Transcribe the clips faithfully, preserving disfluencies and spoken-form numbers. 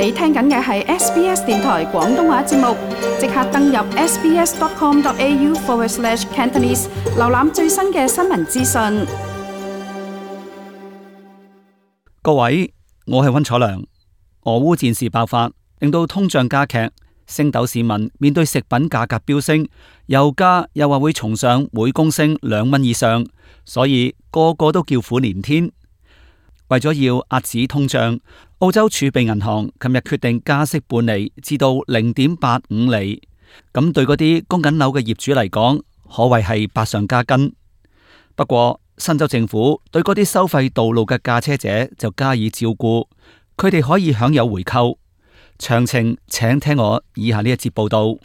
你聽緊嘅係 S B S 電台廣東話節目，即刻登入 sbs.com.au forward slash Cantonese， 瀏覽最新嘅新聞資訊。各位，我係溫楚良。俄烏戰事爆發，令到通脹加劇，星斗市民面對食品價格飆升，油價又話會重上每公升兩蚊以上，所以個個都叫苦連天。為咗要遏止通脹，澳洲儲備銀行琴日決定加息半厘至到零點八五厘，咁對嗰啲供緊樓嘅業主嚟講，可謂係百上加斤。不過新州政府對嗰啲收費道路嘅駕車者就加以照顧，佢哋可以享有回扣。詳情請聽我以下呢一節報道。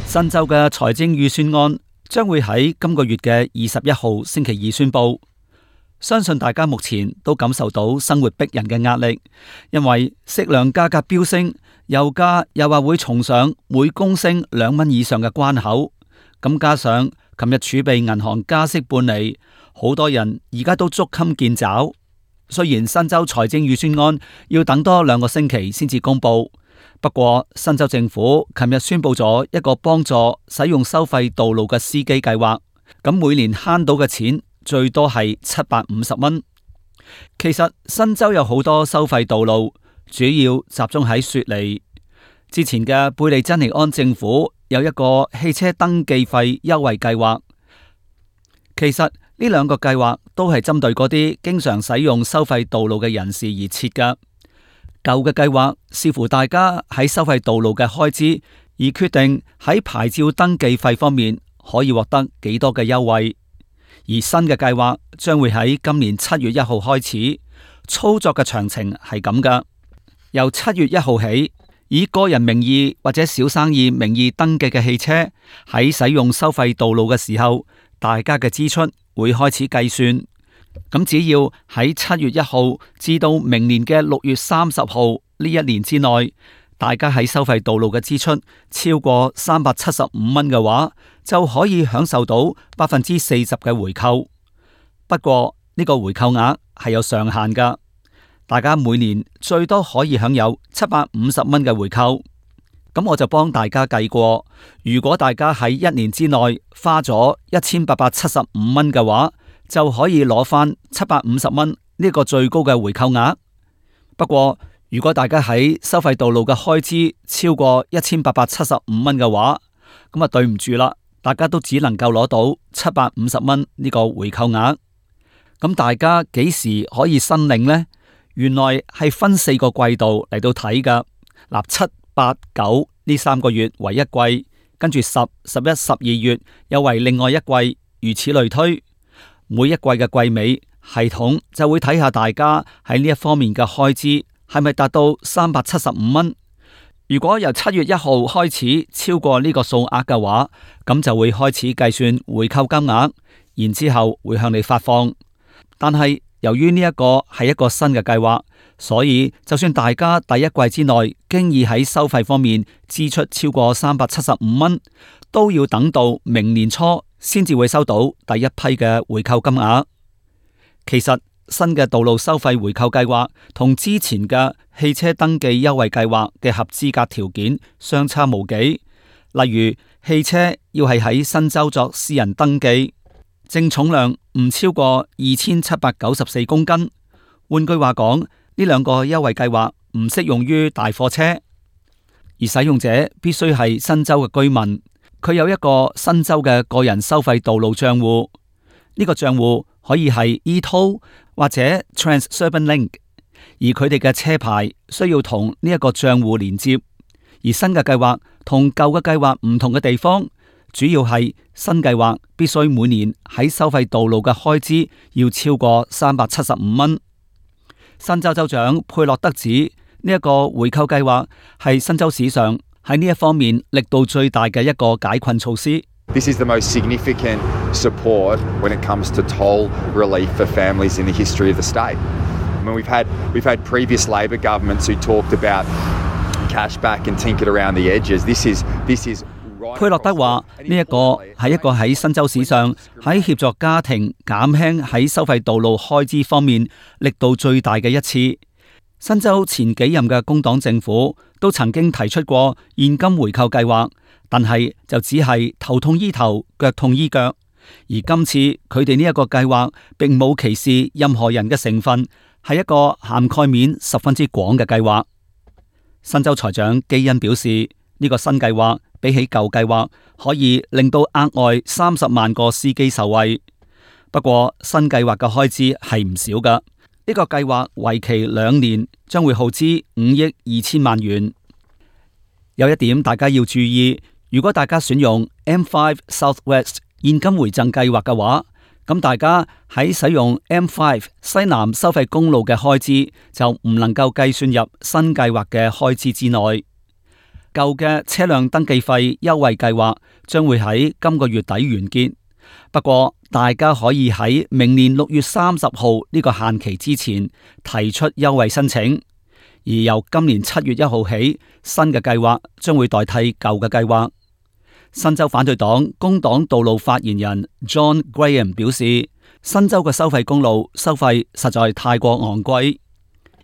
新州嘅財政預算案將會喺今個月嘅二十一號星期二宣布。相信大家目前都感受到生活逼人嘅壓力，因為食糧價格飆升，油價又話會重上每公升兩蚊以上嘅關口。咁加上琴日儲備銀行加息半厘，好多人而家都捉襟見肘。雖然新州財政預算案要等多兩個星期先至公布。不過，新州政府琴日宣布咗一個幫助使用收費道路嘅司機計劃，咁每年慳到嘅錢最多係七百五十蚊。其實新州有好多收費道路，主要集中喺雪梨。之前嘅貝利珍尼安政府有一個汽車登記費優惠計劃。其實呢兩個計劃都係針對嗰啲經常使用收費道路嘅人士而設㗎。舊嘅計劃視乎大家喺收費道路嘅開支，而決定喺牌照登記費方面可以獲得幾多嘅優惠。而新嘅計劃將會喺今年七月一號開始，操作嘅詳情係咁㗎。由七月一號起，以個人名義或者小生意名義登記嘅汽車喺使用收費道路嘅時候，大家嘅支出會開始計算。咁只要喺七月一號至到明年嘅六月三十號呢一年之內，大家喺收費道路嘅支出超過三百七十五蚊嘅話，就可以享受到百分之四十嘅回扣。不過呢個回扣額係有上限㗎，大家每年最多可以享有七百五十蚊嘅回扣。咁我就幫大家計過，如果大家喺一年之內花咗一千八百七十五蚊嘅話，就可以攞翻七百五十蚊呢個最高嘅回扣額。不過如果大家喺收費道路嘅開支超過一千八百七十五蚊嘅話，咁啊對唔住啦，大家都只能夠攞到七百五十蚊呢個回扣額。咁大家幾時可以申領呢？原來係分四個季度嚟到睇噶。嗱，七八九呢三個月為一季，跟住十、十一、十二月又為另外一季，如此類推。每一季嘅季尾，系統就會睇下大家喺呢一方面嘅開支係咪達到三百七十五蚊。如果由七月一號開始超過呢個數額嘅話，咁就會開始計算回扣金額，然之後會向你發放。但係由於呢一個係一個新嘅計劃，所以就算大家第一季之內經已喺收費方面支出超過三百七十五蚊，都要等到明年初先至會收到第一批嘅回扣金額。其實新嘅道路收費回扣計劃同之前嘅汽車登記優惠計劃嘅合資格條件相差無幾。例如汽車要係喺新州作私人登記，淨重量唔超過二千七百九十四公斤。換句話講，呢兩個優惠計劃唔適用於大貨車，而使用者必須係新州嘅居民。佢有一個新州嘅個人收費道路賬戶，呢個賬戶可以係 e-toll 或者 Transurban Link， 而佢哋嘅車牌需要同呢一個賬戶連接。而新嘅計劃同舊嘅計劃唔同嘅地方，主要係新計劃必須每年喺收費道路嘅開支要超過三百七十五蚊。新州州長佩洛德指呢一個回扣計劃係新州史上喺呢一方面力度最大嘅一個解困措施。This is the most significant support when it comes to toll relief for families in the history of the state. I mean, we've had we've had previous Labor governments who talked about cashback and tinkered around the edges. This is this is right. 佩洛德話：呢一個係一個喺新州史上喺協助家庭減輕喺收費道路開支方面力度最大嘅一次。新州前幾任嘅工黨政府都曾經提出過現金回扣計劃，但係就只係頭痛醫頭，腳痛醫腳。而今次佢哋呢一個計劃並冇歧視任何人嘅成分，係一個涵蓋面十分之廣嘅計劃。新州財長基恩表示，呢個新計劃比起舊計劃可以令到額外三十萬個司機受惠。不過新計劃嘅開支係唔少㗎。呢個計劃為期兩年，將會耗資五億二千萬元。有一點大家要注意，如果大家選用 M 五 Southwest 現金回贈計劃嘅話，咁大家喺使用 M 五 西南收費公路嘅開支就唔能夠計算入新計劃嘅開支之內。舊嘅車輛登記費優惠計劃將會喺今個月底完結。不過大家可以喺明年六月三十號呢個限期之前提出優惠申請，而由今年七月一號起，新嘅計劃將會代替舊嘅計劃。新州反對黨工黨道路發言人 John Graham 表示，新州嘅收費公路收費實在太過昂貴。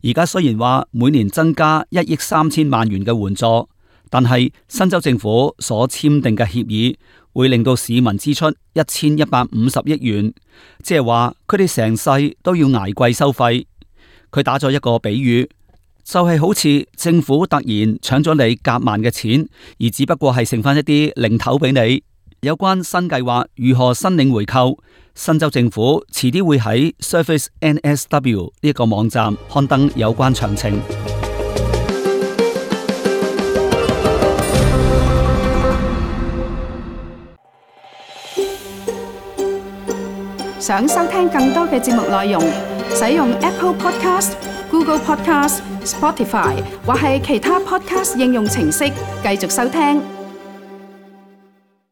而家雖然話每年增加一億三千萬元嘅援助，但係新州政府所簽訂嘅協議會令到市民支出一千一百五十億元，即係話佢哋成世都要捱貴收費。佢打咗一個比喻，就係好似政府突然搶咗你夾萬嘅錢，而只不過係剩翻一啲零頭俾你。有關新計劃如何申領回扣，新州政府遲啲會喺 Service N S W 呢個網站刊登有關詳情。想收聽更多嘅節目內容，使用 Apple Podcast、Google Podcast、Spotify 或係其他 Podcast 應用程式繼續收聽。